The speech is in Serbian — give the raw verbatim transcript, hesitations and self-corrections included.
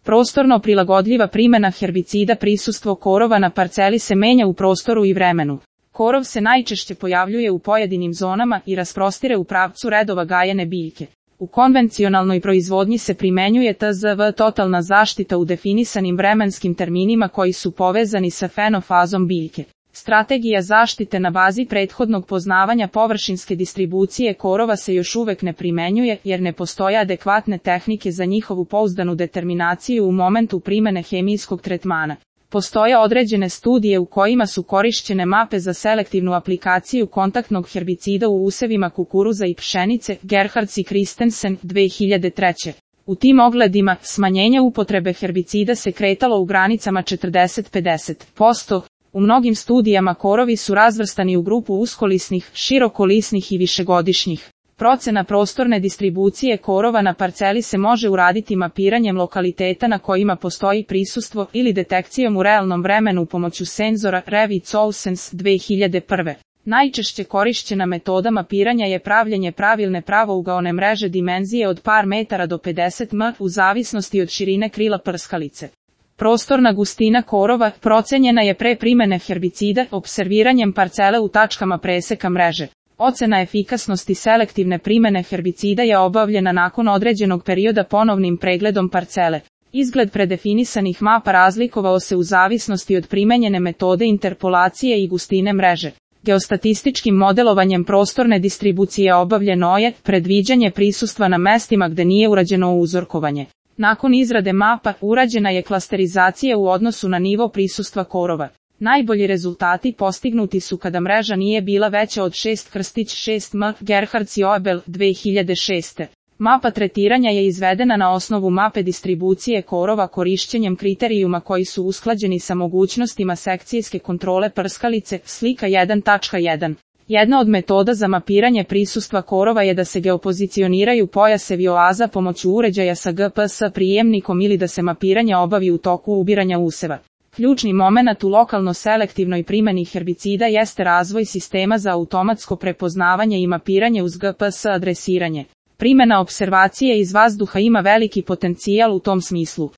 Prostorno prilagodljiva primjena herbicida. Prisustvo korova na parceli se menja u prostoru i vremenu. Korov se najčešće pojavljuje u pojedinim zonama i rasprostire u pravcu redova gajene biljke. U konvencionalnoj proizvodnji se primenjuje T Z V totalna zaštita u definisanim vremenskim terminima koji su povezani sa fenofazom biljke. Strategija zaštite na bazi prethodnog poznavanja površinske distribucije korova se još uvek ne primenjuje jer ne postoje adekvatne tehnike za njihovu pouzdanu determinaciju u momentu primene hemijskog tretmana. Postoje određene studije u kojima su korišćene mape za selektivnu aplikaciju kontaktnog herbicida u usevima kukuruza i pšenice, Gerhards i Christensen, dve hiljade treće. U tim ogledima, smanjenje upotrebe herbicida se kretalo u granicama četrdeset do pedeset posto. U mnogim studijama korovi su razvrstani u grupu uskolisnih, širokolisnih i višegodišnjih. Procena prostorne distribucije korova na parceli se može uraditi mapiranjem lokaliteta na kojima postoji prisustvo ili detekcijom u realnom vremenu pomoću senzora Revit Solsense dve hiljade prve. Najčešće korišćena metoda mapiranja je pravljenje pravilne pravougaone mreže dimenzije od par metara do pedeset metara u zavisnosti od širine krila prskalice. Prostorna gustina korova procenjena je pre primene herbicida opserviranjem parcele u tačkama preseka mreže. Ocena efikasnosti selektivne primene herbicida je obavljena nakon određenog perioda ponovnim pregledom parcele. Izgled predefinisanih mapa razlikovao se u zavisnosti od primenjene metode interpolacije i gustine mreže. Geostatističkim modelovanjem prostorne distribucije obavljeno je predviđanje prisustva na mestima gde nije urađeno uzorkovanje. Nakon izrade mapa, urađena je klasterizacija u odnosu na nivo prisustva korova. Najbolji rezultati postignuti su kada mreža nije bila veća od šest šest metara, Gerhards i Oebel, dve hiljade šeste. Mapa tretiranja je izvedena na osnovu mape distribucije korova korišćenjem kriterijuma koji su usklađeni sa mogućnostima sekcijske kontrole prskalice, slika jedan tačka jedan. Jedna od metoda za mapiranje prisustva korova je da se geopozicioniraju pojasevi oaza pomoću uređaja sa G P S prijemnikom ili da se mapiranje obavi u toku ubiranja useva. Ključni momenat u lokalno selektivnoj primjeni herbicida jeste razvoj sistema za automatsko prepoznavanje i mapiranje uz G P S adresiranje. Primjena opservacije iz vazduha ima veliki potencijal u tom smislu.